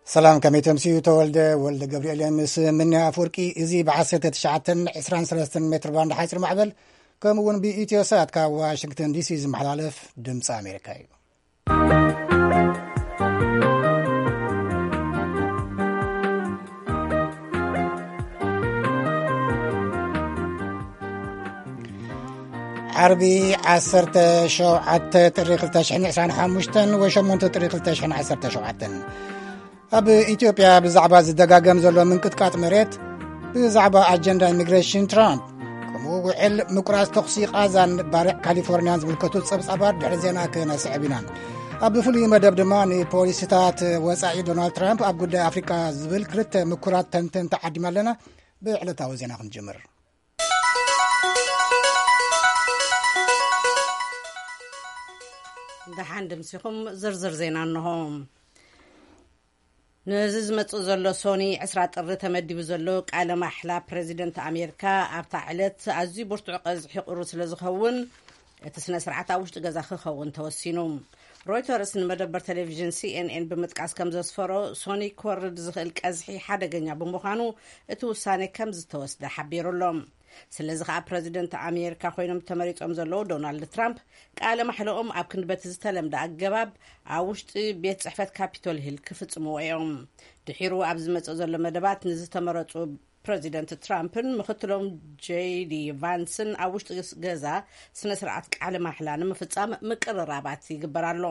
ሰላም፣ ከመይ ተምስዩ? ተወልደ ወልደ ገብርኤል ምስ ምንያ ኣፍወርቂ። እዚ ብ19 23 ሜትር ባንድ ሓፂር ማዕበል፣ ከምኡ እውን ብኢትዮ ሳት ካብ ዋሽንግተን ዲሲ ዝመሓላለፍ ድምፂ ኣሜሪካ እዩ። ዓርቢ 17 ጥሪ 2025 ወይ 8 ጥሪ 2017። ኣብ ኢትዮጵያ ብዛዕባ ዝደጋገም ዘሎ ምንቅጥቃጥ መሬት፣ ብዛዕባ ኣጀንዳ ኢሚግሬሽን ትራምፕ፣ ከምኡ ውዕል ምቁራጽ ተኹሲ ቃዛን ባርዕ ካሊፎርኒያን ዝምልከቱ ጸብጻባት ድሕሪ ዜና ክነስዕብ ኢና። ኣብ ፍሉይ መደብ ድማ ንፖሊሲታት ወጻኢ ዶናልድ ትራምፕ ኣብ ጉዳይ ኣፍሪቃ ዝብል ክልተ ምኩራት ተንተንቲ ዓዲምና ኣለና። ብዕለታዊ ዜና ክንጅምር። ደሓን ድምሲኹም ዝርዝር ዜና እንሆ። ነዚ ዝመጽእ ዘሎ ሶኒ 20 ጥሪ ተመዲቡ ዘሎ ቃለ ማሕላ ፕሬዚደንት ኣሜሪካ ኣብታ ዕለት ኣዝዩ ብርቱዕ ቀዝሒ ቁሩ ስለ ዝኸውን፣ እቲ ስነ ስርዓት ኣብ ውሽጢ ገዛ ክኸውን ተወሲኑ። ሮይተርስ ንመደበር ቴሌቪዥን ሲኤንኤን ብምጥቃስ ከም ዘስፈሮ፣ ሶኒ ክወርድ ዝኽእል ቀዝሒ ሓደገኛ ብምዃኑ እቲ ውሳኔ ከም ዝተወስደ ሓቢሩ ኣሎ። ስለዚ ከኣ ፕረዚደንት ኣሜሪካ ኮይኖም ተመሪጾም ዘለዉ ዶናልድ ትራምፕ ቃለ ማሕለኦም ኣብ ክንዲ በቲ ዝተለምደ ኣገባብ ኣብ ውሽጢ ቤት ጽሕፈት ካፒቶል ሂል ክፍጽምዎ እዮም። ድሒሩ ኣብ ዝመጽእ ዘሎ መደባት ንዝተመረጹ ፕረዚደንት ትራምፕን ምኽትሎም ጄዲ ቫንስን ኣብ ውሽጢ ገዛ ስነ ስርዓት ቃለ ማሕላ ንምፍጻም ምቅርራባት ይግበር ኣሎ።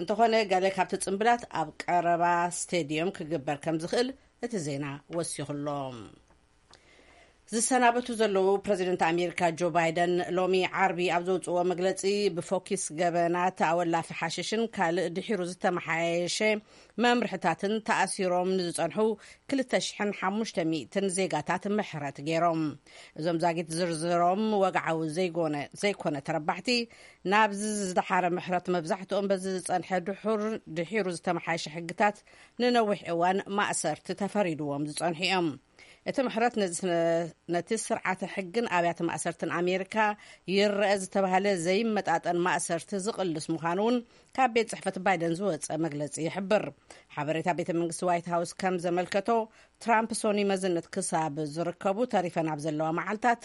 እንተኾነ ገለ ካብቲ ጽምብላት ኣብ ቀረባ ስቴድዮም ክግበር ከም ዝኽእል እቲ ዜና ወሲኹ ኣሎ። ዝሰናበቱ ዘለዉ ፕረዚደንት ኣሜሪካ ጆ ባይደን ሎሚ ዓርቢ ኣብ ዘውፅዎ መግለፂ ብፎኪስ ገበናት ኣወላፊ ሓሽሽን ካልእ ድሒሩ ዝተመሓየሸ መምርሕታትን ተኣሲሮም ንዝፀንሑ 2,500 ዜጋታት ምሕረት ገይሮም። እዞም ዛጊት ዝርዝሮም ወግዓዊ ዘይጎነ-፣ ዘይኮነ ተረባሕቲ ናብዚ ዝደሓረ ምሕረት መብዛሕትኦም በዚ ዝፀንሐ ድሑር ድሒሩ ዝተመሓየሸ ሕግታት ንነዊሕ እዋን ማእሰርቲ ተፈሪድዎም ዝፀንሑ እዮም። እቲ ምሕረት ነዚ ስነ-፣ ነቲ ስርዓተ ሕግን ኣብያተ ማእሰርትን ኣሜሪካ ይረአ ዝተባህለ ዘይመጣጠን ማእሰርቲ ዝቕልስ ምዃኑ እውን ካብ ቤት ጽሕፈት ባይደን ዝወጸ መግለጺ ይሕብር። ሓበሬታ ቤተ መንግስቲ ዋይት ሃውስ ከም ዘመልከቶ፣ ትራምፕ ሶኒ መዝነት ክሳብ ዝርከቡ ተሪፈን ኣብ ዘለዋ መዓልታት፣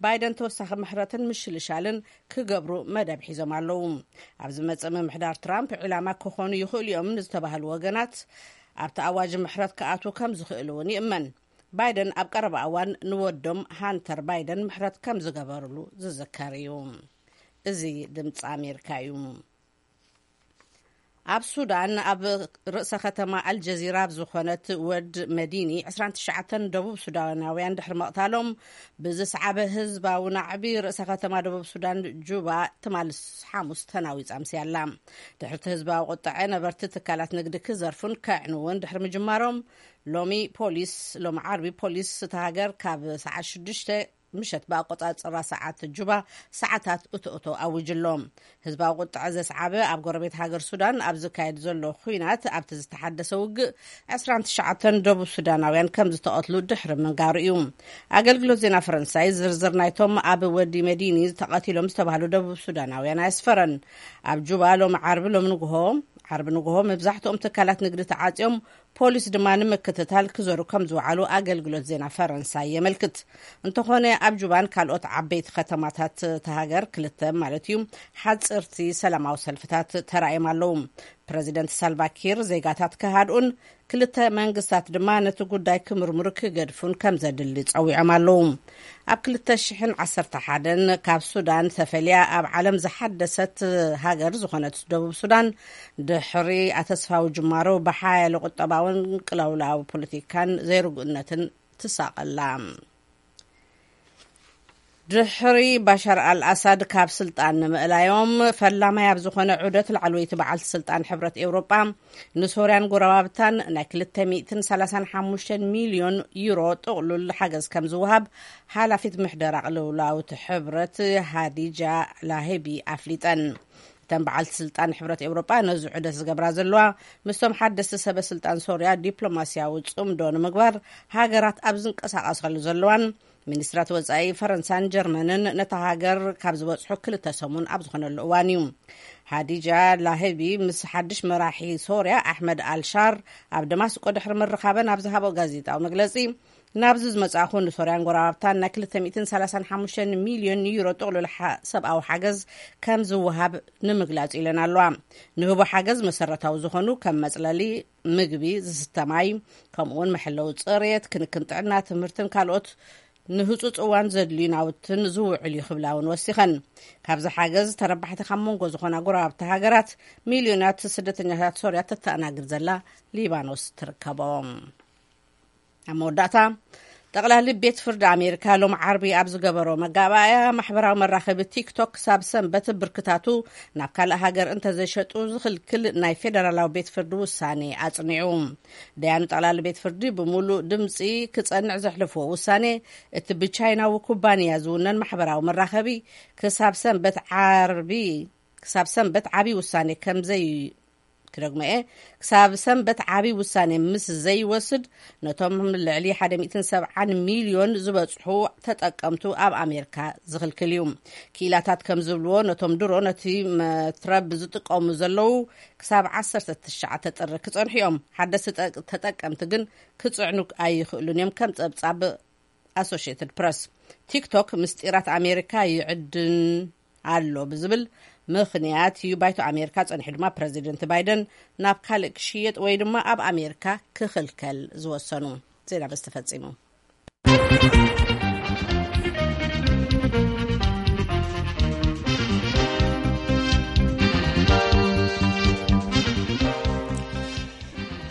ባይደን ተወሳኺ ምሕረትን ምሽልሻልን ክገብሩ መደብ ሒዞም ኣለዉ። ኣብ ዝመጽእ ምምሕዳር ትራምፕ ዕላማ ክኾኑ ይኽእሉ እዮም ንዝተባህሉ ወገናት ኣብቲ ኣዋጅ ምሕረት ክኣትዉ ከም ዝኽእሉ እውን ይእመን። ባይደን ኣብ ቀረባ እዋን ንወዶም ሃንተር ባይደን ምሕረት ከም ዝገበርሉ ዝዝከር እዩ። እዚ ድምፂ ኣሜሪካ እዩ። ኣብ ሱዳን፣ ኣብ ርእሰ ከተማ ኣልጀዚራ ኣብ ዝኾነት ወድ መዲኒ፣ 29 ደቡብ ሱዳናውያን ድሕሪ መቕታሎም ብዝሰዓበ ህዝባዊ ናዕቢ፣ ርእሰ ከተማ ደቡብ ሱዳን ጁባ ትማል ሓሙስ ተናዊጻ ኣምስያ ኣላ። ድሕርቲ ህዝባዊ ቁጥዐ፣ ነበርቲ ትካላት ንግዲ ክዘርፉን ከዕንውን ድሕሪ ምጅማሮም፣ ሎሚ ፖሊስ፣ ሎሚ ዓርቢ ፖሊስ እታ ሃገር ካብ ሰዓት ሽዱሽተ ምሸት ብኣቆጻጽራ ሰዓት ጁባ ሰዓታት እቶ እቶ ኣዊጅሎም። ህዝባዊ ቁጥዐ ዘስዓበ ኣብ ጎረቤት ሃገር ሱዳን ኣብ ዝካየድ ዘሎ ኹናት፣ ኣብቲ ዝተሓደሰ ውግእ 29 ደቡብ ሱዳናውያን ከም ዝተቐትሉ ድሕሪ ምንጋሩ እዩ። ኣገልግሎት ዜና ፈረንሳይ ዝርዝር ናይቶም ኣብ ወዲ መዲኒ ተቐቲሎም ዝተባህሉ ደቡብ ሱዳናውያን ኣየስፈረን። ኣብ ጁባ ሎሚ ዓርቢ፣ ሎሚ ንግሆ፣ ዓርቢ ንግሆ መብዛሕትኦም ትካላት ንግዲ ተዓጽዮም፣ ፖሊስ ድማ ንምክትታል ክዘሩ ከም ዝወዓሉ ኣገልግሎት ዜና ፈረንሳይ የመልክት። እንተኾነ ኣብ ጁባን ካልኦት ዓበይቲ ከተማታት እታ ሃገር ክልተ ማለት እዩ ሓጽርቲ ሰላማዊ ሰልፍታት ተራእዮም ኣለዉ። ፕረዚደንት ሳልቫኪር ዜጋታት ክሃድኡን ክልተ መንግስታት ድማ ነቲ ጉዳይ ክምርምሩ ክገድፉን ከም ዘድሊ ጸዊዖም ኣለዉ። ኣብ 2011 ካብ ሱዳን ተፈልያ ኣብ ዓለም ዝሓደሰት ሃገር ዝኾነት ደቡብ ሱዳን፣ ድሕሪ ኣተስፋዊ ጅማሮ ብሓያለ ቁጠባውን ቅልውላው ፖለቲካን ዘይርጉእነትን ትሳቐላ። ድሕሪ ባሻር ኣልኣሳድ ካብ ስልጣን ንምእላዮም፣ ፈላማይ ኣብ ዝኾነ ዑደት ላዕለወይቲ በዓልቲ ስልጣን ሕብረት ኤውሮጳ፣ ንሶርያን ጎረባብታን ናይ 235 ሚልዮን ዩሮ ጥቕሉል ሓገዝ ከም ዝወሃብ ሓላፊት ምሕደራ ቅልውላውቲ ሕብረት ሃዲጃ ላሄቢ ኣፍሊጠን። እተን በዓልቲ ስልጣን ሕብረት ኤውሮጳ ነዚ ዑደት ዝገብራ ዘለዋ፣ ምስቶም ሓደስቲ ሰበ ስልጣን ሶርያ ዲፕሎማስያዊ ጽምዶ ንምግባር ሃገራት ኣብ ዝንቀሳቐሳሉ ዘለዋን፣ ሚኒስትራት ወጻኢ ፈረንሳን ጀርመንን ነታ ሃገር ካብ ዝበጽሑ ክልተ ሰሙን ኣብ ዝኾነሉ እዋን እዩ። ሃዲጃ ላህቢ ምስ ሓድሽ መራሒ ሶርያ ኣሕመድ ኣልሻር ኣብ ደማስቆ ድሕሪ ምርኻበን ኣብ ዝሃቦ ጋዜጣዊ መግለጺ፣ ናብዚ ዝመጻእኹ ንሶርያን ጎረባብታን ናይ ክልተ ሚእትን ሰላሳን ሓሙሽተን ሚልዮን ዩሮ ጥቕሉል ሓ-፣ ሰብኣዊ ሓገዝ ከም ዝወሃብ ንምግላጽ ኢለን ኣለዋ። ንህቦ ሓገዝ መሰረታዊ ዝኾኑ ከም መጽለሊ፣ ምግቢ፣ ዝስተ ማይ፣ ከምኡውን መሐለዊ ጽሬት፣ ክንክን ጥዕና፣ ትምህርትን ካልኦት ንህጹጽ እዋን ዘድልዩ ናውትን ዝውዕል እዩ ክብላ እውን ወሲኸን። ካብዚ ሓገዝ ተረባሕቲ ካብ መንጎ ዝኾና ጎረባብቲ ሃገራት ሚልዮናት ስደተኛታት ሶርያ ተተኣናግድ ዘላ ሊባኖስ ትርከቦም። ኣብ መወዳእታ፣ ጠቕላሊ ቤት ፍርዲ ኣሜሪካ ሎም ዓርቢ ኣብ ዝገበሮ መጋባእያ፣ ማሕበራዊ መራኸቢ ቲክቶክ ክሳብ ሰንበት ብርክታቱ ናብ ካልእ ሃገር እንተዘይሸጡ ዝኽልክል ናይ ፌደራላዊ ቤት ፍርዲ ውሳኔ ኣጽኒዑ። ደያኑ ጠቕላሊ ቤት ፍርዲ ብምሉእ ድምጺ ክጸንዕ ዘሕለፍዎ ውሳኔ፣ እቲ ብቻይናዊ ኩባንያ ዝውነን ማሕበራዊ መራኸቢ ክሳብ ሰንበት ዓርቢ ክሳብ ሰንበት ዓቢ ውሳኔ ከም ዘይ ክደግሞ እየ። ክሳብ ሰንበት ዓቢ ውሳኔ ምስ ዘይወስድ፣ ነቶም ልዕሊ ሓደ ሚእትን ሰብዓን ሚልዮን ዝበጽሑ ተጠቀምቱ ኣብ ኣሜሪካ ዝኽልክል እዩ። ክኢላታት ከም ዝብልዎ፣ ነቶም ድሮ ነቲ መትረብ ዝጥቀሙ ዘለዉ ክሳብ ዓሰርተ ትሽዓተ ጥሪ ክጸንሑ እዮም። ሓደስቲ ጠ-፣ ተጠቀምቲ ግን ክጽዕኑ ኣይኽእሉን እዮም፣ ከም ጸብጻብ ኣሶሽየትድ ፕረስ። ቲክቶክ ምስጢራት ኣሜሪካ ይዕድን ኣሎ ብዝብል ምኽንያት እዩ ባይቶ ኣሜሪካ ጸኒሑ ድማ ፕረዚደንት ባይደን ናብ ካልእ ክሽየጥ ወይ ድማ ኣብ ኣሜሪካ ክኽልከል ዝወሰኑ። ዜና በዚ ተፈጺሙ።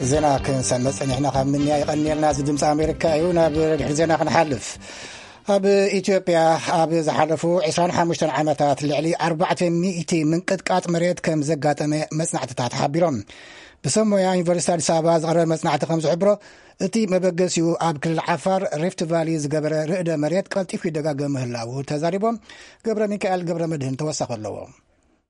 ዜና ክንሰምዕ ጸኒሕና ካብ ምንያ ይቐንየልና። እዚ ድምፂ ኣሜሪካ እዩ። ናብ ድሕሪ ዜና ክንሓልፍ፣ ኣብ ኢትዮጵያ ኣብ ዝሓለፉ ዕስራን ሓሙሽተን ዓመታት ልዕሊ ኣርባዕተ ሚእቲ ምንቅጥቃጥ መሬት ከም ዘጋጠመ መጽናዕትታት ሓቢሮም። ብሰብ ሞያ ዩኒቨርሲቲ ኣዲስ ኣበባ ዝቐረበ መጽናዕቲ ከም ዝሕብሮ፣ እቲ መበገሲኡ ኣብ ክልል ዓፋር ሪፍት ቫሊ ዝገበረ ርእደ መሬት ቀልጢፉ ይደጋገም ምህላዉ ተዛሪቦም። ገብረ ሚካኤል ገብረ መድህን ተወሳኺ ኣለዎ።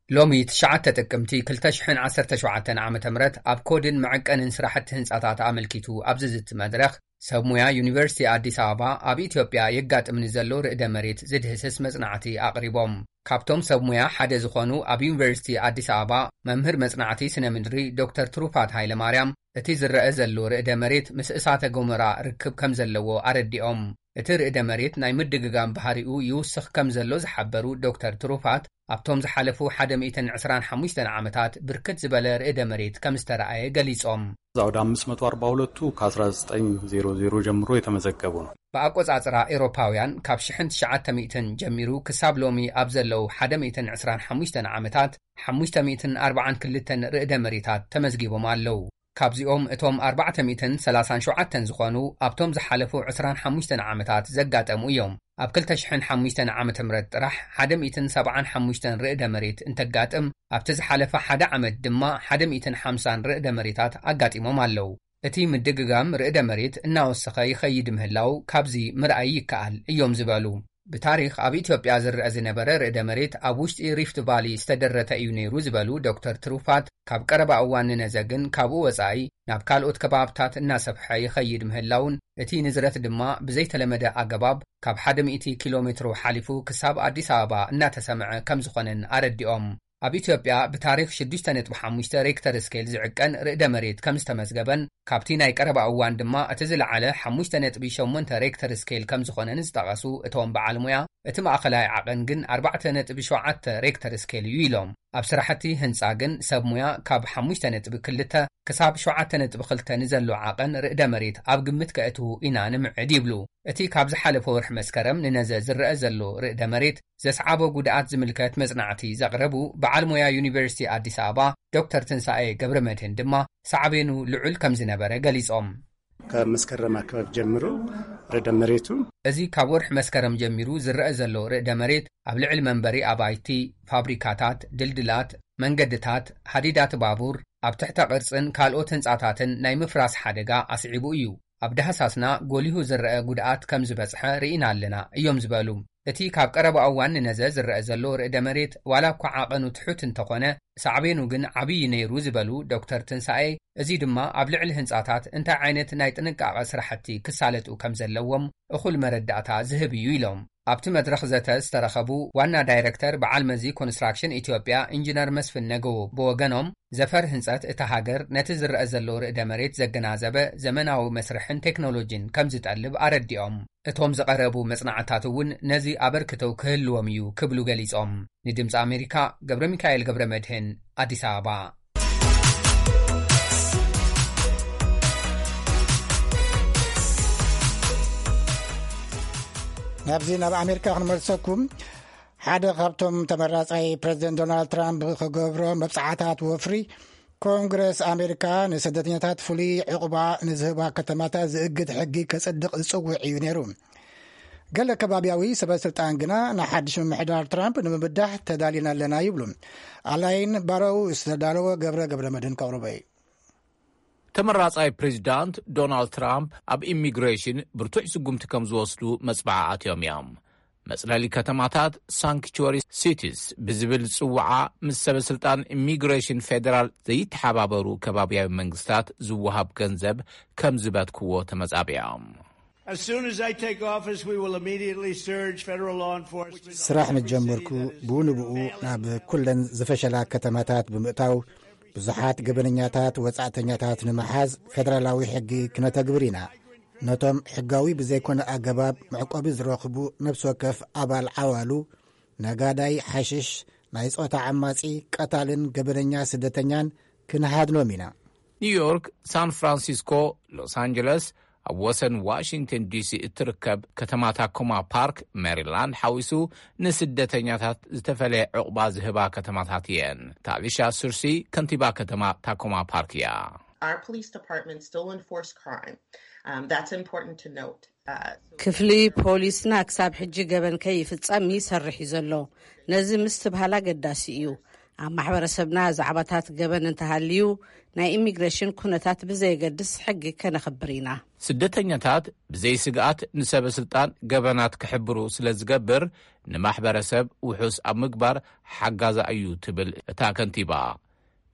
ሎሚ ትሽዓተ ጥቅምቲ ክልተ ሽሕን ዓሰርተ ሸውዓተን ዓመተ ምህረት ኣብ ኮድን መዐቀንን ስራሕቲ ህንጻታት ኣመልኪቱ ኣብ ዝዝቲ መድረኽ፣ ሰብ ሙያ ዩኒቨርሲቲ ኣዲስ ኣበባ ኣብ ኢትዮጵያ የጋጥም ንዘሎ ርእደ መሬት ዝድህስስ መጽናዕቲ ኣቕሪቦም። ካብቶም ሰብ ሙያ ሓደ ዝኾኑ ኣብ ዩኒቨርሲቲ ኣዲስ ኣበባ መምህር መጽናዕቲ ስነ ምድሪ ዶክተር ትሩፋት ሃይለማርያም፣ እቲ ዝረአ ዘሎ ርእደ መሬት ምስ እሳተ ጎመራ ርክብ ከም ዘለዎ ኣረዲኦም። እቲ ርእደ መሬት ናይ ምድግጋም ባህሪኡ ይውስኽ ከም ዘሎ ዝሓበሩ ዶክተር ትሩፋት፣ ኣብቶም ዝሓለፉ ሓደ ሚእትን ዕስራን ሓሙሽተን ዓመታት ብርክት ዝበለ ርእደ መሬት ከም ዝተረኣየ ገሊጾም። እዛ ወደ ኣምስት መቶ ኣርባ ሁለቱ ከ ኣስራ ዘጠኝ ዜሮ ዜሮ ጀምሮ የተመዘገቡ ነው። ብኣቆጻጽራ ኤሮፓውያን ካብ ሽሕን ትሽዓተ ሚእትን ጀሚሩ ክሳብ ሎሚ ኣብ ዘለዉ ሓደ ሚእትን ዕስራን ሓሙሽተን ዓመታት ሓሙሽተ ሚእትን ኣርባዓን ክልተን ርእደ መሬታት ተመዝጊቦም ኣለዉ። ካብዚኦም እቶም ኣርባዕተ ሚእትን ሰላሳን ሸውዓተን ዝኾኑ ኣብቶም ዝሓለፉ ዕስራን ሓሙሽተን ዓመታት ዘጋጠሙ እዮም። ኣብ ክልተ ሽሕን ሓሙሽተን ዓመተ ምህረት ጥራሕ ሓደ ሚእትን ሰብዓን ሓሙሽተን ርእደ መሬት እንተጋጥም፣ ኣብቲ ዝሓለፈ ሓደ ዓመት ድማ ሓደ ሚእትን ሓምሳን ርእደ መሬታት ኣጋጢሞም ኣለዉ። እቲ ምድግጋም ርእደ መሬት እናወሰኸ ይኸይድ ምህላው ካብዚ ምርኣይ ይከኣል እዮም ዝበሉ። ብታሪኽ ኣብ ኢትዮጵያ ዝረአ ዝነበረ ርእደ መሬት ኣብ ውሽጢ ሪፍት ቫሊ ዝተደረተ እዩ ነይሩ ዝበሉ ዶክተር ትሩፋት፣ ካብ ቀረባ እዋን ንነዘ ግን ካብኡ ወጻኢ ናብ ካልኦት ከባብታት እናሰፍሐ ይኸይድ ምህላውን፣ እቲ ንዝረት ድማ ብዘይተለመደ ኣገባብ ካብ ሓደ ሚእቲ ኪሎ ሜትሮ ሓሊፉ ክሳብ ኣዲስ ኣበባ እናተሰምዐ ከም ዝኾነን ኣረዲኦም። ኣብ ኢትዮጵያ ብታሪኽ ሽዱሽተ ነጥቢ ሓሙሽተ ሬክተር ስኬል ዝዕቀን ርእደ መሬት ከም ዝተመዝገበን፣ ካብቲ ናይ ቀረባ እዋን ድማ እቲ ዝለዓለ ሓሙሽተ ነጥቢ ሸሞንተ ሬክተር ስኬል ከም ዝኾነን ዝጠቐሱ እቶም በዓል ሙያ፣ እቲ ማእኸላይ ዓቐን ግን ኣርባዕተ ነጥቢ ሸውዓተ ሬክተር ስኬል እዩ ኢሎም። ኣብ ስራሕቲ ህንጻ ግን ሰብ ሙያ ካብ ሓሙሽተ ነጥቢ ክልተ ክሳብ ሸውዓተ ነጥቢ ክልተ ንዘሎ ዓቐን ርእደ መሬት ኣብ ግምት ከእትዉ ኢና ንምዕድ ይብሉ። እቲ ካብ ዝሓለፈ ወርሒ መስከረም ንነዘ ዝረአ ዘሎ ርእደ መሬት ዘስዓቦ ጉድኣት ዝምልከት መጽናዕቲ ዘቕረቡ በዓል ሞያ ዩኒቨርሲቲ ኣዲስ ኣበባ ዶክተር ትንሳኤ ገብረ መድህን ድማ ሳዕቤኑ ልዑል ከም ዝነበረ ገሊጾም። ከመስከረም ኣካባቢ ጀምሮ ርዕደ መሬቱ እዚ ካብ ወርሒ መስከረም ጀሚሩ ዝረአ ዘሎ ርእደ መሬት ኣብ ልዕሊ መንበሪ ኣባይቲ፣ ፋብሪካታት፣ ድልድላት፣ መንገድታት፣ ሃዲዳት ባቡር፣ ኣብ ትሕተ ቅርጽን ካልኦት ህንጻታትን ናይ ምፍራስ ሓደጋ ኣስዒቡ እዩ። ኣብ ዳህሳስና ጎሊሁ ዝረአ ጉድኣት ከም ዝበጽሐ ርኢና ኣለና እዮም ዝበሉ። እቲ ካብ ቀረባ እዋን ንነዘ ዝረአ ዘሎ ርእደ መሬት ዋላ እኳ ዓቐኑ ትሑት እንተኾነ፣ ሳዕቤኑ ግን ዓብዪ ነይሩ ዝበሉ ዶክተር ትንሳኤ፣ እዚ ድማ ኣብ ልዕሊ ህንጻታት እንታይ ዓይነት ናይ ጥንቃቐ ስራሕቲ ክሳለጡ ከም ዘለዎም እኹል መረዳእታ ዝህብ እዩ ኢሎም። ኣብቲ መድረኽ ዘተ ዝተረኸቡ ዋና ዳይረክተር በዓል መዚ ኮንስትራክሽን ኢትዮጵያ ኢንጂነር መስፍን ነገዎ ብወገኖም፣ ዘፈር ህንጸት እታ ሃገር ነቲ ዝረአ ዘሎ ርእደ መሬት ዘገናዘበ ዘመናዊ መስርሕን ቴክኖሎጂን ከም ዝጠልብ ኣረዲኦም። እቶም ዝቐረቡ መጽናዕታት እውን ነዚ ኣበርክቶ ክህልዎም እዩ ክብሉ ገሊጾም። ንድምጺ ኣሜሪካ ገብረ ሚካኤል ገብረ መድህን፣ ኣዲስ ኣበባ። ናብዚ ናብ ኣሜሪካ ክንመልሰኩም። ሓደ ካብቶም ተመራጻይ ፕረዚደንት ዶናልድ ትራምፕ ክገብሮ መብጻዕታት ወፍሪ፣ ኮንግረስ ኣሜሪካ ንስደተኛታት ፍሉይ ዕቑባ ንዝህባ ከተማታት ዝእግድ ሕጊ ከጽድቕ ዝጽውዕ እዩ ነይሩ። ገለ ከባብያዊ ሰበ ስልጣን ግና ንሓድሽ ምምሕዳር ትራምፕ ንምብዳህ ተዳሊና ኣለና ይብሉ። ኣላይን ባረው ዝተዳለወ ገብረ ገብረ መድህን ከቕርቦ እዩ። ተመራጻይ ፕሬዚዳንት ዶናልድ ትራምፕ ኣብ ኢሚግሬሽን ብርቱዕ ስጉምቲ ከም ዝወስዱ መጽብዓ ኣትዮም እዮም። መጽለሊ ከተማታት፣ ሳንክቹዋሪ ሲቲስ ብዝብል ዝጽውዓ፣ ምስ ሰበ ስልጣን ኢሚግሬሽን ፌደራል ዘይተሓባበሩ ከባብያዊ መንግስታት ዝወሃብ ገንዘብ ከም ዝበትክዎ ተመጻቢዖም። As soon as I take office, we will immediately surge federal law enforcement. ስራሕ ምስ ጀመርኩ፣ ብኡ ንብኡ ናብ ኩለን ዝፈሸላ ከተማታት ብምእታው፣ ብዙሓት ገበነኛታት ወጻእተኛታት ንምሓዝ ፌደራላዊ ሕጊ ክነተግብር ኢና። ነቶም ሕጋዊ ብዘይኮነ ኣገባብ መዕቆቢ ዝረኽቡ ነፍሲ ወከፍ ኣባል ዓዋሉ፣ ነጋዳይ ሓሽሽ፣ ናይ ጾታ ዓማጺ፣ ቀታልን ገበነኛ ስደተኛን ክንሃድኖም ኢና። ኒውዮርክ፣ ሳን ፍራንሲስኮ፣ ሎስ ኣንጀለስ፣ ኣብ ወሰን ዋሽንግተን ዲሲ እትርከብ ከተማ ታኮማ ፓርክ፣ ሜሪላንድ ሓዊሱ፣ ንስደተኛታት ዝተፈለየ ዕቑባ ዝህባ ከተማታት እየን። ታሊሻ ሱርሲ ከንቲባ ከተማ ታኮማ ፓርክ እያ። Our police department still enforce crime. Um, that's important to note. Uh, so ክፍሊ ፖሊስና ክሳብ ሕጂ ገበን ከይፍጸም ይሰርሕ እዩ ዘሎ። ነዚ ምስትብሃል ኣገዳሲ እዩ። ኣብ ማሕበረሰብና ዛዕባታት ገበን እንተሃልዩ፣ ናይ ኢሚግሬሽን ኩነታት ብዘየገድስ ሕጊ ከነኽብር ኢና። ስደተኛታት ብዘይ ስግኣት ንሰበ ስልጣን ገበናት ክሕብሩ ስለ ዝገብር፣ ንማሕበረሰብ ውሑስ ኣብ ምግባር ሓጋዛ እዩ ትብል እታ ከንቲባ።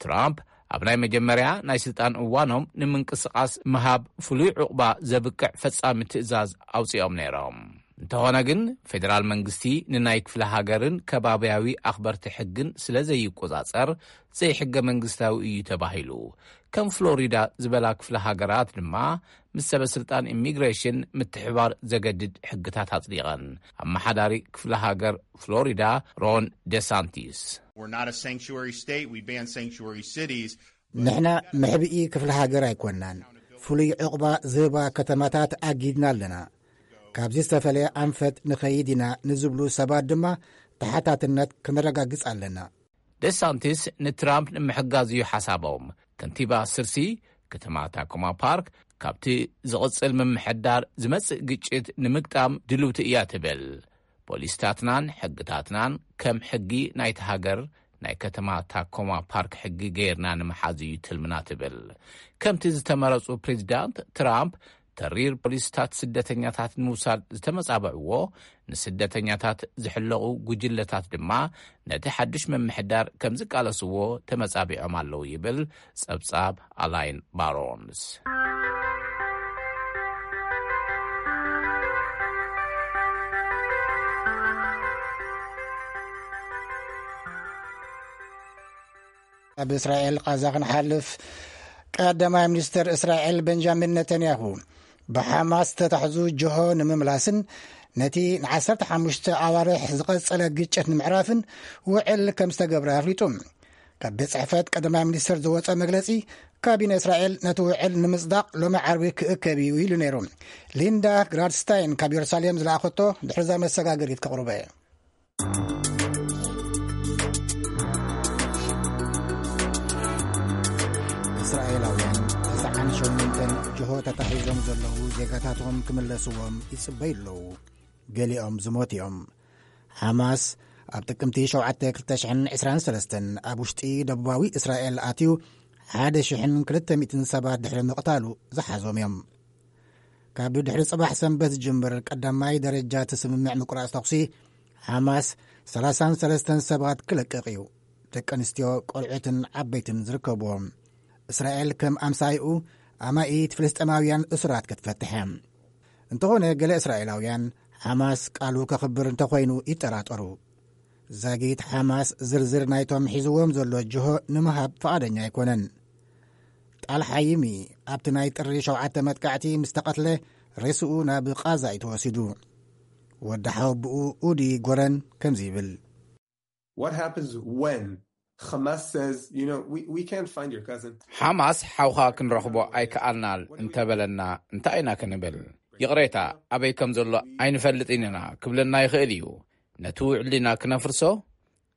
ትራምፕ ኣብ ናይ መጀመርያ ናይ ስልጣን እዋኖም ንምንቅስቓስ ምሃብ ፍሉይ ዕቑባ ዘብቅዕ ፈጻሚ ትእዛዝ ኣውጺኦም ነይሮም። እንተኾነ ግን፣ ፌደራል መንግስቲ ንናይ ክፍለ ሃገርን ከባብያዊ ኣኽበርቲ ሕግን ስለ ዘይቆጻጸር፣ ዘይሕገ መንግስታዊ እዩ ተባሂሉ። ከም ፍሎሪዳ ዝበላ ክፍለ ሃገራት ድማ፣ ምስ ሰበ ስልጣን ኢሚግሬሽን ምትሕባር ዘገድድ ሕግታት ኣጽዲቐን። ኣመሓዳሪ ክፍለ ሃገር ፍሎሪዳ ሮን ደሳንቲስ፣ We're not a sanctuary state. We ban sanctuary cities. ንሕና መሕብኢ ክፍለ ሃገር ኣይኮናን። ፍሉይ ዕቑባ ዝህባ ከተማታት ኣጊድና ኣለና። ካብዚ ዝተፈለየ ኣንፈት ንኸይድ ኢና ንዝብሉ ሰባት ድማ ተሓታትነት ከነረጋግጽ ኣለና። ደሳንቲስ ንትራምፕ ንምሕጋዝ እዩ ሓሳቦም። ከንቲባ ስርሲ ከተማ ታኮማ ፓርክ፣ ካብቲ ዝቕጽል ምምሕዳር ዝመጽእ ግጭት ንምግጣም ድልውቲ እያ ትብል። ፖሊስታትናን ሕግታትናን ከም ሕጊ ናይቲ ሃገር ናይ ከተማ ታኮማ ፓርክ ሕጊ ገይርና ንምሓዝ እዩ ትልምና ትብል። ከምቲ ዝተመረጹ ፕሬዚዳንት ትራምፕ፣ ተሪር ፖሊስታት ስደተኛታት ንምውሳድ ዝተመጻበዕዎ፣ ንስደተኛታት ዝሕለቑ ጉጅለታት ድማ ነቲ ሓድሽ ምምሕዳር ከም ዝቃለስዎ ተመጻቢዖም ኣለዉ ይብል ጸብጻብ ኣላይን ባሮንስ። ኣብ እስራኤል ቃዛ ክንሓልፍ፣ ቀዳማይ ሚኒስትር እስራኤል ቤንጃሚን ነተንያሁ፣ ብሓማስ ተታሕዙ ጅሆ ንምምላስን ነቲ ን15 ኣዋርሕ ዝቐጸለ ግጭት ንምዕራፍን ውዕል ከም ዝተገብረ ኣፍሊጡ። ካብ ቤት ጽሕፈት ቀዳማይ ሚኒስትር ዝወጸ መግለጺ፣ ካቢነ እስራኤል ነቲ ውዕል ንምጽዳቕ ሎሚ ዓርቢ ክእከብ እዩ ኢሉ ነይሩ። ሊንዳ ግራድስታይን ካብ የሩሳሌም ዝለኣኸቶ ድሕርዛ መሰጋገሪት ከቕርበ እየ። እስራኤላውያን ተስዓን ሸሞንተን ጅሆ ተታሒዞም ዘለዉ ዜጋታቶም ክምለስዎም ይጽበዩ ኣለዉ። ገሊኦም ዝሞት እዮም። ሓማስ ኣብ ጥቅምቲ ሸውዓተ ክልተ ሽሕን ዕስራን ሰለስተን ኣብ ውሽጢ ደቡባዊ እስራኤል ኣትዩ ሓደ ሽሕን ክልተ ሚእትን ሰባት ድሕሪ ምቕታሉ ዝሓዞም እዮም። ካብ ድሕሪ ጽባሕ ሰንበት ዝጅምር ቀዳማይ ደረጃ እቲ ስምምዕ ምቁራጽ ተኹሲ፣ ሓማስ ሰላሳን ሰለስተን ሰባት ክለቅቕ እዩ። ደቂ ኣንስትዮ፣ ቆልዑትን ዓበይትን ዝርከብዎም። እስራኤል ከም ኣምሳይኡ ኣማኢት ፍልስጤማውያን እሱራት ክትፈትሕ እያ። እንተኾነ፣ ገለ እስራኤላውያን ሓማስ ቃሉ ከኽብር እንተኾይኑ ይጠራጠሩ። ዛጊት ሓማስ ዝርዝር ናይቶም ሒዝዎም ዘሎ ጅሆ ንምሃብ ፍቓደኛ ኣይኮነን። ጣል ሓይሚ ኣብቲ ናይ ጥሪ ሸውዓተ መጥቃዕቲ ምስ ተቐትለ፣ ሬስኡ ናብ ቃዛ እዩ ተወሲዱ። ወዲ ሓወብኡ ኡዲ ጎረን ከምዚ ይብል። What happens when Hamas says, you know, we, we can't find your cousin? ሓማስ ሓውኻ ክንረኽቦ ኣይከኣልናል እንተበለና እንታይ ኢና ክንብል? ይቕሬታ፣ ኣበይ ከም ዘሎ ኣይንፈልጥን ኢና ክብለና ይኽእል እዩ። ነቲ ውዕል ኢና ክነፍርሶ?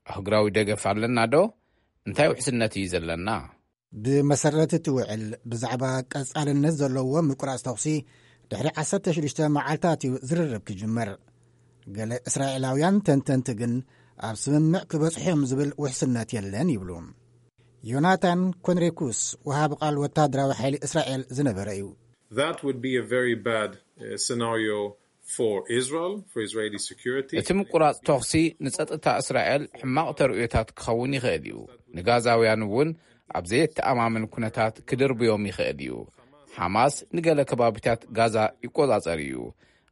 ኣህጉራዊ ደገፍ ኣለና ዶ? እንታይ ውሕስነት እዩ ዘለና? ብመሰረት እቲ ውዕል፣ ብዛዕባ ቀጻልነት ዘለዎ ምቁራጽ ተኹሲ ድሕሪ ዓሰርተ ሽዱሽተ መዓልታት እዩ ዝርርብ ክጅመር። ገለ እስራኤላውያን ተንተንቲ ግን፣ ኣብ ስምምዕ ክበጽሑ እዮም ዝብል ውሕስነት የለን ይብሉ። ዮናታን ኮንሬኩስ፣ ወሃቢ ቃል ወታደራዊ ሓይሊ እስራኤል ዝነበረ እዩ። That would be a very bad uh, scenario for Israel, for Israeli security. እቲ ምቁራጽ ተኹሲ ንጸጥታ እስራኤል ሕማቕ ተርእዮታት ክኸውን ይኽእል እዩ። ንጋዛውያን እውን ኣብ ዘየተኣማምን ኩነታት ክድርብዮም ይኽእል እዩ። ሓማስ ንገለ ከባቢታት ጋዛ ይቆጻጸር እዩ።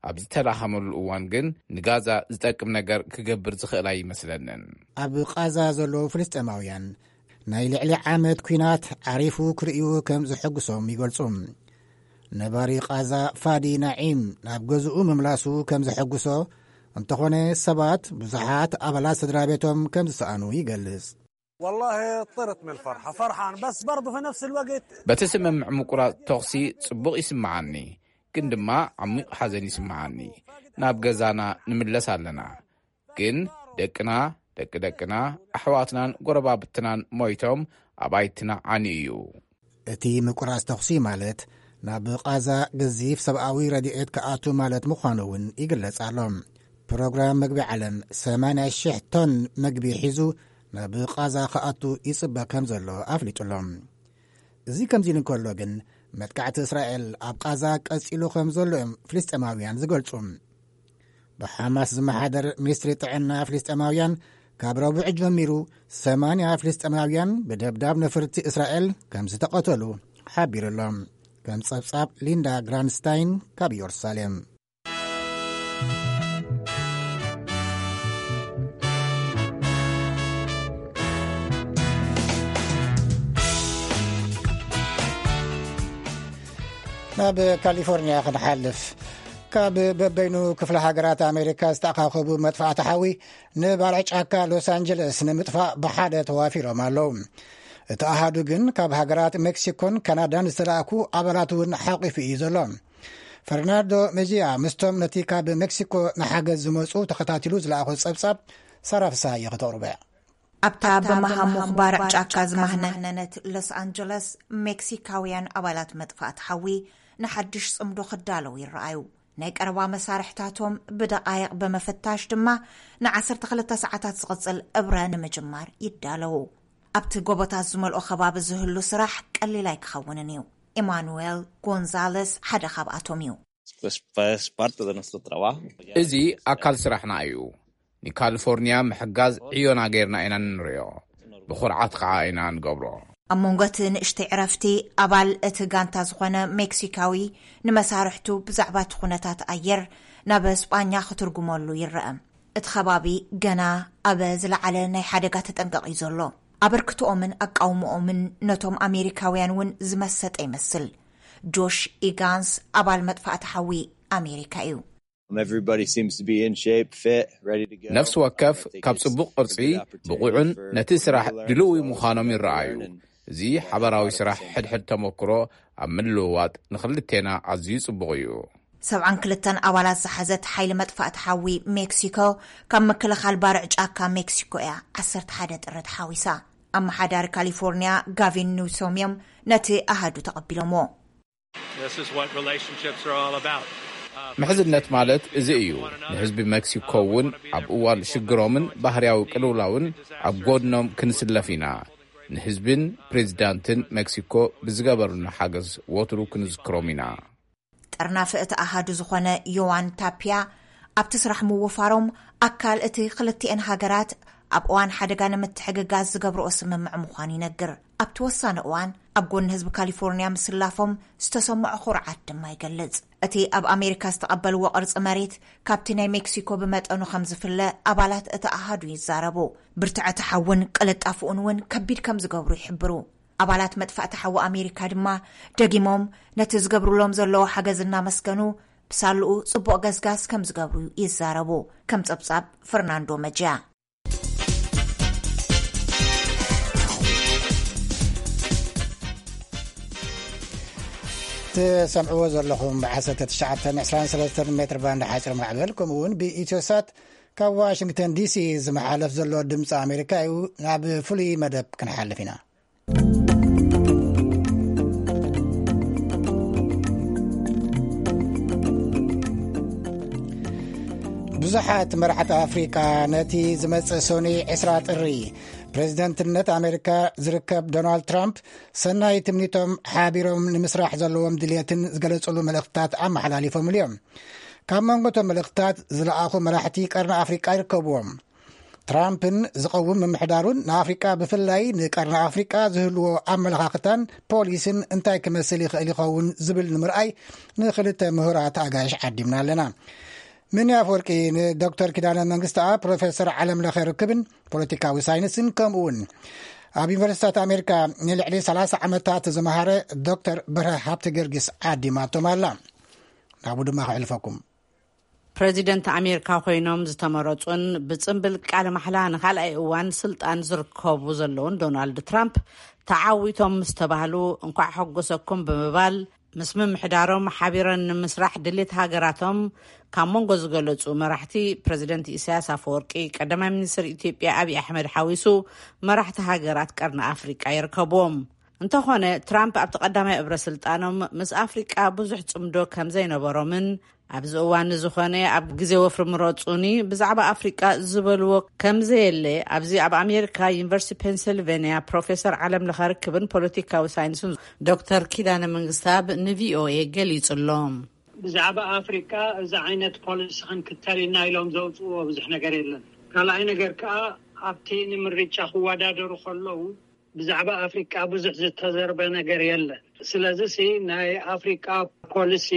ኣብ ዝተላኸመሉ እዋን ግን ንጋዛ ዝጠቅም ነገር ክገብር ዝኽእል ኣይመስለንን። ኣብ ቃዛ ዘለዉ ፍልስጤማውያን፣ ናይ ልዕሊ ዓመት ኲናት ዓሪፉ ክርእዩ ከም ዘሐጉሶም ይገልጹ። ነባሪ ቃዛ ፋዲ ናዒም፣ ናብ ገዝኡ ምምላሱ ከም ዘሐጉሶ፣ እንተኾነ ሰባት ብዙሓት ኣባላት ስድራ ቤቶም ከም ዝሰኣኑ ይገልጽ። والله طرت من الفرحة، فرحان بس برضه في نفس الوقت. በቲ ስምምዕ ምቁራጽ ተኹሲ ጽቡቕ ይስምዓኒ፣ ግን ድማ ዓሚቕ ሓዘን ይስምዓኒ። ናብ ገዛና ንምለስ ኣለና፣ ግን ደቅና፣ ደቂ ደቅና፣ ኣሕዋትናን ጎረባብትናን ሞይቶም፣ ኣባይትና ዓኒ እዩ። እቲ ምቁራጽ ተኹሲ ማለት፣ ናብ ቃዛ ገዚፍ ሰብኣዊ ረድኤት ክኣቱ ማለት ምዃኑ እውን ይግለጽ ኣሎ። ፕሮግራም መግቢ ዓለም ሰማንያ ሽሕ ቶን መግቢ ሒዙ ናብ ቃዛ ክኣቱ ይጽበ ከም ዘሎ ኣፍሊጡ ኣሎ። እዚ ከምዚ ኢሉ እንከሎ ግን፣ መጥቃዕቲ እስራኤል ኣብ ቃዛ ቀጺሉ ከም ዘሎ እዮም ፍልስጤማውያን ዝገልጹ። ብሓማስ ዝመሓደር ሚኒስትሪ ጥዕና ፍልስጤማውያን፣ ካብ ረቡዕ ጀሚሩ ሰማንያ ፍልስጤማውያን ብደብዳብ ነፍርቲ እስራኤል ከም ዝተቐተሉ ሓቢሩ ኣሎ። ከም ጸብጻብ ሊንዳ ግራንስታይን ካብ ኢየሩሳሌም። ናብ ካሊፎርኒያ ክንሓልፍ። ካብ በበይኑ ክፍለ ሃገራት ኣሜሪካ ዝተኣኻኸቡ መጥፋእቲ ሓዊ ንባርዕ ጫካ ሎስ ኣንጀለስ ንምጥፋእ ብሓደ ተዋፊሮም ኣለዉ። እቲ ኣሃዱ ግን ካብ ሃገራት ሜክሲኮን ካናዳን ዝተላእኩ ኣባላት እውን ሓቂፉ እዩ ዘሎ። ፈርናንዶ መጂያ ምስቶም ነቲ ካብ ሜክሲኮ ንሓገዝ ዝመጹ ተኸታቲሉ ዝለኣኾ ጸብጻብ ሳራ ፍስሃየ ከተቕርቦ እያ። ኣብታ ብመሃሙኽ ባርዕ ጫካ ዝማህነነት ሎስ ኣንጀለስ፣ ሜክሲካውያን ኣባላት መጥፋእቲ ሓዊ ንሓድሽ ጽምዶ ክዳለዉ ይረኣዩ። ናይ ቀረባ መሳርሕታቶም ብደቓይቕ ብምፍታሽ ድማ፣ ንዓሰርተ ክልተ ሰዓታት ዝቕጽል እብረ ንምጅማር ይዳለዉ። ኣብቲ ጎቦታት ዝመልኦ ከባቢ ዝህሉ ስራሕ ቀሊል ኣይክኸውንን እዩ። ኢማኑኤል ጎንዛለስ ሓደ ካብኣቶም እዩ። Pues, pues es parte de nuestro trabajo. እዚ ኣካል ስራሕና እዩ። ንካሊፎርኒያ ምሕጋዝ ዕዮና ጌርና ኢና ንንሪኦ። ብኹርዓት ከዓ ኢና ንገብሮ። ኣብ መንጎ እቲ ንእሽተይ ዕረፍቲ፣ ኣባል እቲ ጋንታ ዝኾነ ሜክሲካዊ ንመሳርሕቱ ብዛዕባ እቲ ኩነታት ኣየር ናብ ስጳኛ ክትርጉመሉ ይረአ። እቲ ከባቢ ገና ኣብ ዝለዓለ ናይ ሓደጋ ተጠንቀቕ እዩ ዘሎ። ኣበርክትኦምን ኣቃውምኦምን ነቶም ኣሜሪካውያን እውን ዝመሰጠ ይመስል። ጆሽ ኢጋንስ፣ ኣባል መጥፋእቲ ሓዊ ኣሜሪካ እዩ። Um, everybody seems to be in shape, fit, ready to go. ነፍሲ ወከፍ ካብ ጽቡቕ ቅርጺ፣ ብቑዕን ነቲ ስራሕ ድልዊ ምዃኖም ይረኣዩ። እዚ ሓባራዊ ስራሕ ሕድሕድ ተመክሮ ኣብ ምልውዋጥ ንኽልቴና ኣዝዩ ጽቡቕ እዩ። ሰብዓን ክልተን ኣባላት ዝሓዘት ሓይሊ መጥፋእቲ ሓዊ ሜክሲኮ፣ ካብ ምክልኻል ባርዕ ጫካ ሜክሲኮ እያ ዓሰርተ ሓደ ጥሪ ተሓዊሳ። ኣመሓዳሪ ካሊፎርኒያ ጋቪን ኒውሶም እዮም ነቲ ኣሃዱ ተቐቢሎምዎ። This is what relationships are all about. ምሕዝነት ማለት እዚ እዩ። ንህዝቢ ሜክሲኮ እውን ኣብ እዋን ሽግሮምን ባህርያዊ ቅልውላውን ኣብ ጎድኖም ክንስለፍ ኢና። ንህዝብን ፕሬዚዳንትን ሜክሲኮ ብዝገበሩና ሓገዝ ወትሩ ክንዝክሮም ኢና። ጠርናፊ እቲ ኣሃዱ ዝኾነ ዮዋን ታፒያ፣ ኣብቲ ስራሕ ምውፋሮም ኣካል እቲ ክልቲኤን ሃገራት ኣብ እዋን ሓደጋ ንምትሕግጋዝ ዝገብርኦ ስምምዕ ምዃኑ ይነግር። ኣብቲ ወሳኒ እዋን ኣብ ጎኒ ህዝቢ ካሊፎርኒያ ምስላፎም ዝተሰምዖ ኩርዓት ድማ ይገልጽ። እቲ ኣብ ኣሜሪካ ዝተቐበልዎ ቅርጺ መሬት ካብቲ ናይ ሜክሲኮ ብመጠኑ ከም ዝፍለ ኣባላት እቲ ኣሃዱ ይዛረቡ። ብርትዐ እቲ ሓውን ቅልጣፍኡን እውን ከቢድ ከም ዝገብሩ ይሕብሩ። ኣባላት መጥፋእቲ ሓዊ ኣሜሪካ ድማ ደጊሞም ነቲ ዝገብሩሎም ዘለዉ ሓገዝ እናመስገኑ፣ ብሳልኡ ጽቡቕ ገስጋስ ከም ዝገብሩ ይዛረቡ። ከም ጸብጻብ ፈርናንዶ መጃ። ትሰምዕዎ ዘለኹም ብ19 23 ሜትር ባንድ ሓፂር ማዕበል፣ ከምኡ እውን ብኢትዮሳት ካብ ዋሽንግተን ዲሲ ዝመሓለፍ ዘሎ ድምፂ ኣሜሪካ እዩ። ናብ ፍሉይ መደብ ክንሓልፍ ኢና። ብዙሓት መራሕቲ ኣፍሪቃ ነቲ ዝመጽእ ሶኒ 20 ጥሪ ፕሬዝደንትነት ኣሜሪካ ዝርከብ ዶናልድ ትራምፕ ሰናይ ትምኒቶም ሓቢሮም ንምስራሕ ዘለዎም ድልየትን ዝገለጹሉ መልእኽትታት ኣመሓላሊፎምሉ እዮም። ካብ መንጎ እቶም መልእኽትታት ዝለኣኹ መራሕቲ ቀርኒ ኣፍሪቃ ይርከብዎም። ትራምፕን ዝቐውም ምምሕዳሩን ንኣፍሪቃ ብፍላይ ንቀርኒ ኣፍሪቃ ዝህልዎ ኣመለኻኽታን ፖሊስን እንታይ ክመስል ይኽእል ይኸውን ዝብል ንምርኣይ ንኽልተ ምሁራት ኣጋይሽ ዓዲምና ኣለና። ምኒ ኣፍወርቂ ንዶክተር ኪዳነ መንግስትኣብ ፕሮፌሰር ዓለም ለኸ ርክብን ፖለቲካዊ ሳይንስን ከምኡ እውን ኣብ ዩኒቨርሲታት ኣሜሪካ ንልዕሊ 30 ዓመታት ዝመሃረ ዶክተር ብርሃ ሃብተ ጊዮርጊስ ዓዲማቶም ኣላ። ናብኡ ድማ ከሕልፈኩም። ፕረዚደንት ኣሜሪካ ኮይኖም ዝተመረጹን ብጽምብል ቃለ ማሕላ ንኻልኣይ እዋን ስልጣን ዝርከቡ ዘለውን ዶናልድ ትራምፕ ተዓዊቶም ምስ ተባህሉ፣ እንኳዕ ሓጎሰኩም ብምባል፣ ምስ ምምሕዳሮም ሓቢረን ንምስራሕ ድሌት ሃገራቶም ካብ መንጎ ዝገለጹ መራሕቲ፣ ፕረዚደንት ኢሳያስ ኣፈወርቂ፣ ቀዳማይ ሚኒስትር ኢትዮጵያ ኣብይ ኣሕመድ ሓዊሱ፣ መራሕቲ ሃገራት ቀርኒ ኣፍሪቃ ይርከብዎም። እንተኾነ፣ ትራምፕ ኣብቲ ቀዳማይ እብረ ስልጣኖም ምስ ኣፍሪቃ ብዙሕ ጽምዶ ከም ዘይነበሮምን፣ ኣብዚ እዋን ዝኾነ ኣብ ግዜ ወፍሪ ምረጹኒ ብዛዕባ ኣፍሪቃ ዝበልዎ ከም ዘየለ፣ ኣብዚ ኣብ ኣሜሪካ ዩኒቨርሲቲ ፔንሲልቬንያ ፕሮፌሰር ዓለም ለኸ ርክብን ፖለቲካዊ ሳይንስን ዶክተር ኪዳነ መንግስተኣብ ንቪኦኤ ገሊጹሎም። ብዛዕባ ኣፍሪቃ እዚ ዓይነት ፖሊሲ ክንክተል ኢና ኢሎም ዘውፅዎ ብዙሕ ነገር የለን። ካልኣይ ነገር ከዓ ኣብቲ ንምርጫ ክወዳደሩ ከለዉ ብዛዕባ ኣፍሪቃ ብዙሕ ዝተዘርበ ነገር የለን። ስለዚ ሲ ናይ ኣፍሪቃ ፖሊሲ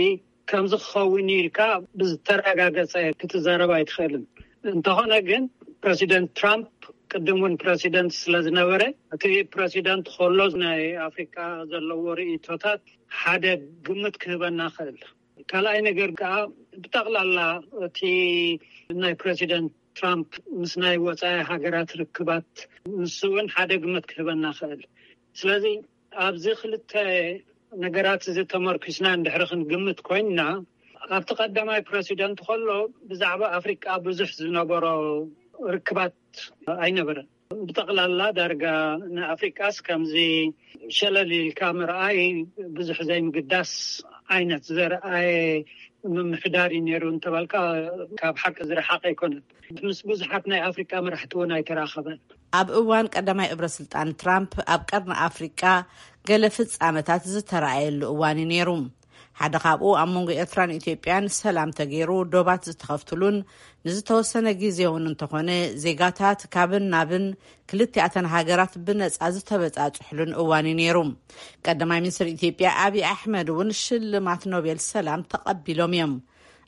ከምዚ ክኸውን ኢልካ ብዝተረጋገጸ ክትዛረብ ኣይትኽእልን። እንተኾነ ግን ፕረሲደንት ትራምፕ ቅድም እውን ፕረሲደንት ስለ ዝነበረ እቲ ፕረሲደንት ከሎ ናይ ኣፍሪቃ ዘለዎ ርእይቶታት ሓደ ግምት ክህበና ክእል። ካልኣይ ነገር ከዓ ብጠቕላላ እቲ ናይ ፕረሲደንት ትራምፕ ምስ ናይ ወፃኢ ሃገራት ርክባት ንሱ እውን ሓደ ግምት ክህበና ክእል። ስለዚ ኣብዚ ክልተ ነገራት እዚ ተመርኪስና እንድሕሪ ክንግምት ኮይንና ኣብቲ ቀዳማይ ፕረሲደንት ከሎ ብዛዕባ ኣፍሪቃ ብዙሕ ዝነበሮ ርክባት ኣይነበረን። ብጠቕላላ ዳርጋ ንኣፍሪቃስ ከምዚ ሸለል ኢልካ ምርኣይ ብዙሕ ዘይምግዳስ ዓይነት ዘርኣየ ምምሕዳር እዩ ነይሩ እንተበልካ ካብ ሓቂ ዝረሓቀ ኣይኮነን። ምስ ብዙሓት ናይ ኣፍሪቃ መራሕቲ እውን ኣይተራኸበን። ኣብ እዋን ቀዳማይ እብረ ስልጣን ትራምፕ ኣብ ቀርኒ ኣፍሪቃ ገለ ፍጻመታት ዝተረኣየሉ እዋን እዩ ነይሩ። ሓደ ካብኡ ኣብ መንጎ ኤርትራን ኢትዮጵያን ሰላም ተገይሩ ዶባት ዝተኸፍትሉን ንዝተወሰነ ግዜ እውን እንተኾነ ዜጋታት ካብን ናብን ክልቲኣተን ሃገራት ብነጻ ዝተበጻጽሕሉን እዋን እዩ ነይሩ። ቀዳማይ ሚኒስትር ኢትዮጵያ ኣብይ ኣሕመድ እውን ሽልማት ኖቤል ሰላም ተቐቢሎም እዮም።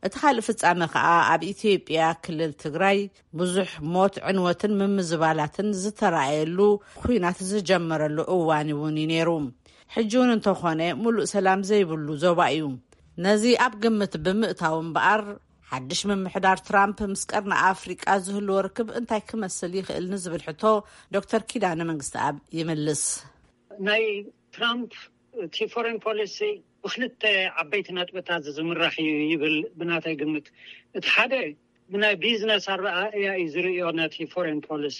እቲ ካልእ ፍጻመ ከኣ ኣብ ኢትዮጵያ ክልል ትግራይ ብዙሕ ሞት፣ ዕንወትን ምምዝባላትን ዝተረኣየሉ፣ ኲናት ዝጀመረሉ እዋን እውን እዩ ነይሩ። ሕጂ እውን እንተኾነ፣ ሙሉእ ሰላም ዘይብሉ ዞባ እዩ። ነዚ ኣብ ግምት ብምእታው እምበኣር፣ ሓድሽ ምምሕዳር ትራምፕ ምስ ቀርኒ ኣፍሪቃ ዝህልዎ ርክብ እንታይ ክመስል ይኽእል ንዝብል ሕቶ ዶክተር ኪዳነ መንግስተኣብ ይምልስ። ናይ ትራምፕ እቲ ፎሬን ፖሊሲ ብክልተ ዓበይቲ ነጥብታት ዝምራሕ እዩ ይብል። ብናተይ ግምት፣ እቲ ሓደ ብናይ ቢዝነስ ኣረኣእያ እዩ ዝርእዮ ነቲ ፎሬን ፖሊሲ።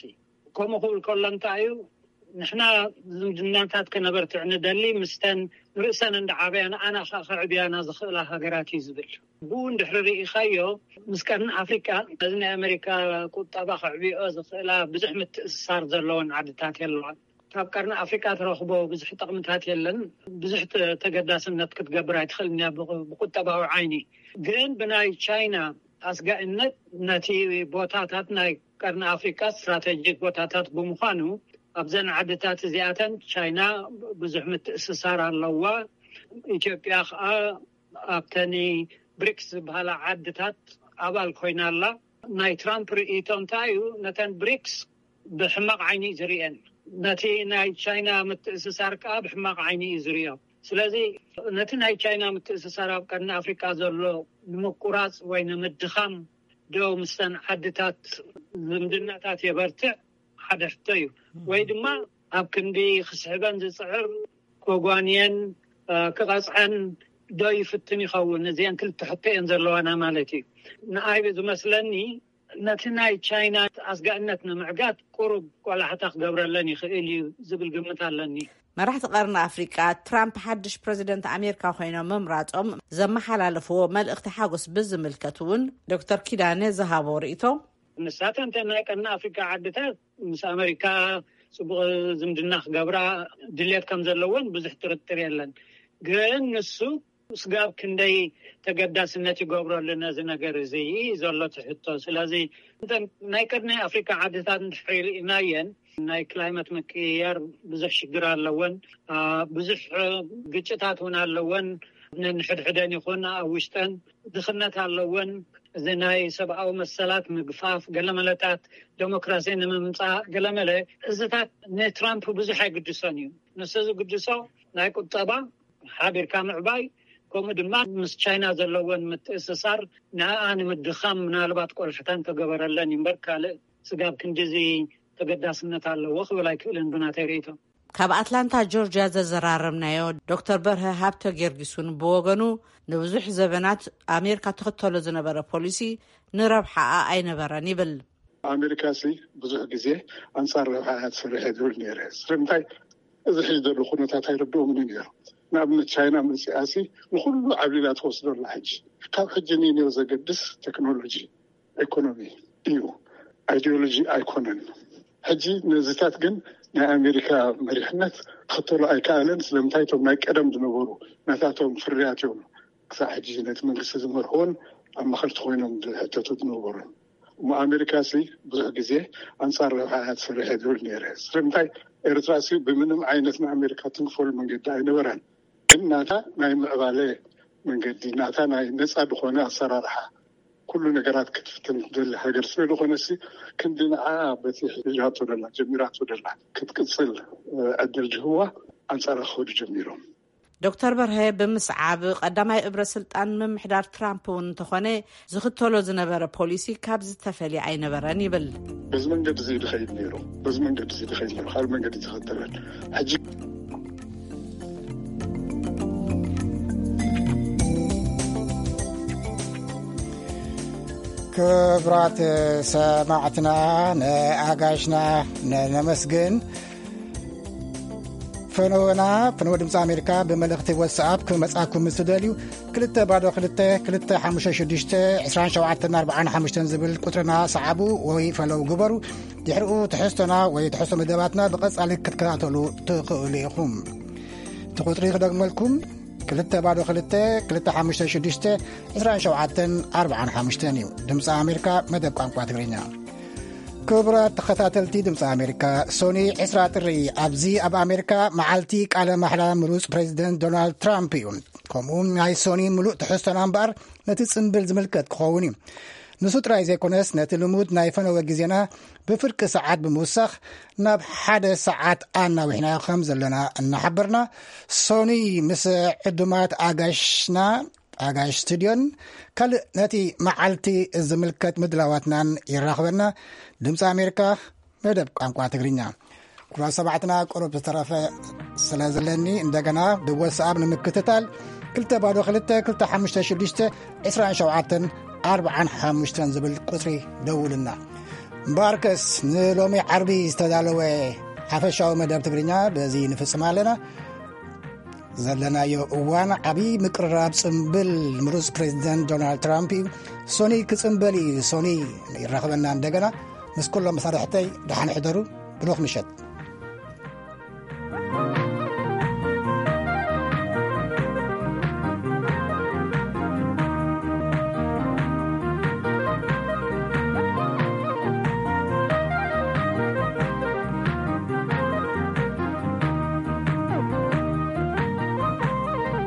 ከምኡ ክብል ከሎ እንታይ እዩ፣ ንሕና ዝምድናታት ከነበርትዕ ንደሊ፣ ምስተን ርእሰን እንዳዓበያ ንኣና ከዓ ከዕብያና ዝኽእላ ሃገራት እዩ ዝብል። ብኡ እንድሕሪ ርኢኻዮ፣ ምስ ቀርኒ ኣፍሪቃ ነዚ ናይ ኣሜሪካ ቁጠባ ከዕብዮ ዝኽእላ ብዙሕ ምትእስሳር ዘለወን ዓድታት የለዋን። ካብ ቀርኒ ኣፍሪቃ ትረኽቦ ብዙሕ ጥቕምታት የለን። ብዙሕ ተ-፣ ተገዳስነት ክትገብር ኣይትኽእልን እያ ብቁ-፣ ብቁጠባዊ ዓይኒ። ግን ብናይ ቻይና ኣስጋእነት ነቲ ቦታታት ናይ ቀርኒ ኣፍሪቃ ስትራቴጂክ ቦታታት ብምዃኑ ኣብዘን ዓድታት እዚኣተን ቻይና ብዙሕ ምትእስሳር ኣለዋ። ኢትዮጵያ ከዓ ኣብተን ብሪክስ ዝበሃላ ዓድታት ኣባል ኮይና ኣላ። ናይ ትራምፕ ርእይቶ እንታይ እዩ? ነተን ብሪክስ ብሕማቕ ዓይኒ እዩ ዝርእየን። ነቲ ናይ ቻይና ምትእስሳር ከዓ ብሕማቕ ዓይኒ እዩ ዝርእዮ። ስለዚ ነቲ ናይ ቻይና ምትእስሳር ኣብ ቀርኒ ኣፍሪቃ ዘሎ ንምቁራፅ ወይ ንምድኻም ዶ ምስተን ዓድታት ዝምድናታት የበርትዕ? ሓደ ሕቶ እዩ። ወይ ድማ ኣብ ክንዲ ክስሕበን ዝፅዕር ከጓንየን፣ እ፣ ክቐፅዐን ዶ ይፍትን ይኸውን? እዚአን ክልተ ሕቶ እየን ዘለዋና ማለት እዩ። ንኣይ ዝመስለኒ ነቲ ናይ ቻይና ኣስጋእነት ንምዕጋት ቁሩብ ቆላሕታ ክገብረለን ይኽእል እዩ ዝብል ግምት ኣለኒ። መራሕቲ ቀርኒ ኣፍሪቃ ትራምፕ ሓድሽ ፕረዚደንት ኣሜሪካ ኮይኖም ምምራጾም ዘመሓላለፍዎ መልእኽቲ ሓጎስ ብዝምልከት እውን ዶክተር ኪዳነ ዝሃቦ ርእይቶ። ንሳተን እተን ናይ ቀርኒ ኣፍሪካ ዓድታት ምስ ኣሜሪካ ጽቡቕ ዝምድና ክገብራ ድልየት ከም ዘለወን ብዙሕ ጥርጥር የለን። ግን ንሱ ስጋብ ክንደይ ተገዳስነት ይገብረሉ ነዚ ነገር እዚ ዘሎ ትሕቶ። ስለዚ እተን ናይ ቀርኒ ኣፍሪካ ዓድታት እንድሕር ርኢናየን ናይ ክላይመት ምቅይያር ብዙሕ ሽግር ኣለወን። አ፣ ብዙሕ ግጭታት እውን ኣለወን። ነንሕድሕደን ይኹን ኣብ ውሽጠን ድኽነት ኣለወን። እዚ ናይ ሰብኣዊ መሰላት ምግፋፍ፣ ገለመለታት ዴሞክራሲ ንምምፃእ ገለመለ፣ እዚታት ንትራምፕ ብዙሕ ኣይግድሶን እዩ። ንሱ ዝግድሶ ናይ ቁጠባ ሓቢርካ ምዕባይ፣ ከምኡ ድማ ምስ ቻይና ዘለወን ምትእስሳር ንኣኣ ንምድኻም ምናልባት ቆልሕታ እንተገበረለን እምበር ካልእ ስጋብ ክንዲዚ ተገዳስነት ኣለዎ ክብል ኣይክእልን ብናተይ ርእይቶ። ካብ ኣትላንታ ጆርጅያ ዘዘራረብናዮ ዶክተር በርሀ ሃብተ ጊዮርጊስ እውን ብወገኑ ንብዙሕ ዘበናት ኣሜሪካ ትኽተሎ ዝነበረ ፖሊሲ ንረብሓኣ ኣይነበረን ይብል። ኣሜሪካ ሲ ብዙሕ ግዜ ኣንጻር ረብሓ እያ ትሰርሕ እየ ዝብል ነይረ። ስለምንታይ? እዚ ሕጂ ዘሎ ኩነታት ኣይርድኦምን እዩ ነይሩ። ንኣብነት ቻይና መጺኣ ሲ ንኹሉ ዓብሊላ ትወስዶ ኣላ። ሕጂ ካብ ሕጂ ንኔው ዘገድስ ቴክኖሎጂ፣ ኢኮኖሚ እዩ፣ ኣይዲዮሎጂ ኣይኮነን። ሕጂ ነዚታት ግን ናይ ኣሜሪካ መሪሕነት ክኽተሎ ኣይከኣለን። ስለምንታይ? እቶም ናይ ቀደም ዝነበሩ ናታቶም ፍርያት እዮም ክሳዕ ሕጂ ነቲ መንግስቲ ዝመርሕዎን ኣማኸርቲ ኮይኖም ዝሕተቱ ዝነበሩን። እሞ ኣሜሪካ ሲ ብዙሕ ግዜ ኣንጻር ረብሓ እያ ትሰርሕ እየ ዝብል ነይረ። ስለምንታይ? ኤርትራ ሲ ብምንም ዓይነት ንኣሜሪካ ትንክፈሉ መንገዲ ኣይነበራን። ግን ናታ ናይ ምዕባለ መንገዲ፣ ናታ ናይ ነጻ ዝኾነ ኣሰራርሓ፣ ኩሉ ነገራት ክትፍትን ትደሊ ሃገር ስለ ዝኾነ ሲ ክንዲ ንዓ በቲ ሒዛቶ ደላ፣ ጀሚራቶ ደላ ክትቅጽል፣ እ፣ ዕድል ዝህዋ ኣንጻራ ክኸዱ ጀሚሮም። ዶክተር በርሀ ብምስዓብ ቀዳማይ እብረ ስልጣን ምምሕዳር ትራምፕ እውን እንተኾነ ዝኽተሎ ዝነበረ ፖሊሲ ካብ ዝተፈልየ ኣይነበረን ይብል። በዚ መንገዲ እዚ ድኸይድ ነይሩ፣ በዚ መንገዲ እዚ ድኸይድ ነይሩ፣ ካልእ መንገዲ ተኸተለን። ሕጂ ክቡራት ሰማዕትና፣ ንኣጋሽና ነ-፣ ነመስግን። ፈነወና፣ ፈነወ ድምፂ ኣሜሪካ ብመልእኽቲ ዋትስኣፕ ክመፃኩም ምስ ትደልዩ፣ ክልተ ባዶ ክልተ፣ ክልተ ሓሙሽተ ሽዱሽተ፣ ዕስራን ሸውዓተን ኣርባዓን ሓሙሽተን ዝብል ቁፅርና ሰዓቡ ወይ ፈለው ግበሩ። ድሕሪኡ ትሕዝቶና ወይ ትሕዝቶ መደባትና ብቐፃሊ ክትከታተሉ ትኽእሉ ኢኹም። እቲ ቁፅሪ ክደግመልኩም፣ ክልተ ባዶ ክልተ፣ ክልተ ሓሙሽተ ሽዱሽተ፣ ዕስራን ሸውዓተን ኣርባዓን ሓሙሽተን እዩ። ድምፂ ኣሜሪካ፣ መደብ ቋንቋ ትግርኛ። ክቡራት ተኸታተልቲ ድምፂ ኣሜሪካ፣ ሶኒ ዕስራ ጥሪ ኣብዚ ኣብ ኣሜሪካ መዓልቲ ቃለ ማሕላ ምሩፅ ፕሬዚደንት ዶናልድ ትራምፕ እዩ። ከምኡ ናይ ሶኒ ምሉእ ትሕዝቶና እምበኣር ነቲ ጽምብል ዝምልከት ክኸውን እዩ። ንሱ ጥራይ ዘይኮነስ ነቲ ልሙድ ናይ ፈነወ ግዜና ብፍርቂ ሰዓት ብምውሳኽ ናብ ሓደ ሰዓት ኣናዊሕናዮ ከም ዘለና እናሓበርና፣ ሶኒ ምስ ዕዱማት ኣጋሽና፣ ኣጋሽ ስቱድዮን ካልእ ነቲ መዓልቲ ዝምልከት ምድላዋትናን ይራኽበና። ድምፂ ኣሜሪካ፣ መደብ ቋንቋ ትግርኛ። ክቡራት ሰማዕትና፣ ቁሩብ ዝተረፈ ስለ ዘለኒ፣ እንደገና ብወትስኣፕ ንምክትታል ክልተ ባዶ ክልተ፣ ክልተ ሓሙሽተ ሽዱሽተ፣ ዕስራን ሸውዓተን ኣርባዓን ሓሙሽተን ዝብል ቁጽሪ ደውልና። እምበኣርከስ፣ ንሎሚ ዓርቢ ዝተዳለወ ሓፈሻዊ መደብ ትግርኛ በዚ ንፍጽም ኣለና። ዘለናዮ እዋን ዓቢ ምቅርራብ ጽምብል ምሩጽ ፕሬዚደንት ዶናልድ ትራምፕ እዩ። ሶኒ ክጽምበል እዩ። ሶኒ ይራኽበና እንደገና። ምስ ኩሎም መሳርሕተይ ደሓን ሕደሩ። ብሩኽ ምሸት።